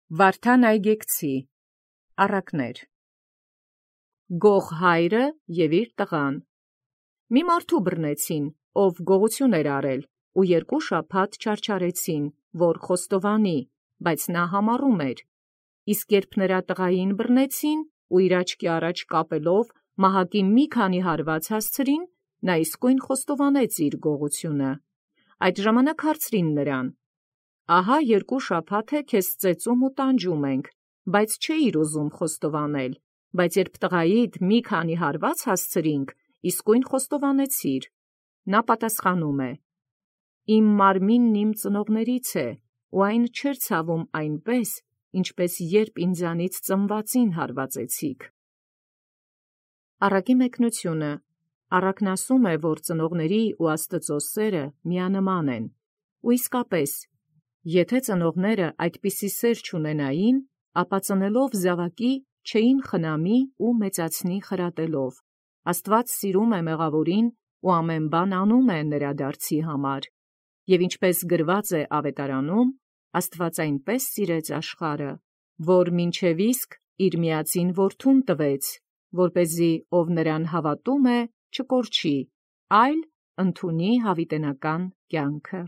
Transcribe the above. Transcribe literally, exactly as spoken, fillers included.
Վարդան այգեկցի առակներ։ Գող հայրը և իր տղան։ Մի մարդու բռնեցին, ով գողություն էր արել, ու երկու շաբաթ չարչարեցին, որ խոստովանի, բայց նա համառում էր։ Իսկ երբ նրա տղային բռնեցին, ու իր աչքի առաջ կապելով մահակի մի քանի հարված հասցրին, նա իսկույն խոստովանեց իր գողությունը։ Այդ ժամանակ հարցրին նրան. «Ահա երկու շաբաթ է քեզ ծեծում ու տանջում ենք, բայց չէիր ուզում խոստովանել, բայց երբ տղայիդ մի քանի հարված հասցրինք, իսկույն խոստովանեցիր»։ Նա պատասխանում է. «Իմ մարմինն իմ ծնողներից է, ու այն չէր ցավում այնպես, ինչպես երբ ինձանից ծնվածին հարվածեցիք»։ Առակի մեկնությունը։ Առակն ասում է, որ ծնողների ու Աստծո սերը միանման են։ Ու իսկապես, եթե ծնողները այդպիսի սեր չունենային, ապա ծնելով զավակի չէին խնամի ու մեծացնի խրատելով։ Աստված սիրում է մեղավորին ու ամեն բան անում է նրա դարձի համար։ Եվ ինչպես գրված է Ավետարանում, Աստված այնպես սիրեց աշխարհը, որ մինչև իսկ իր միածին որդուն տվեց, որպեսզի ով նրան հավատում է, չկորչի, այլ ընդունի հավիտենական կյանքը։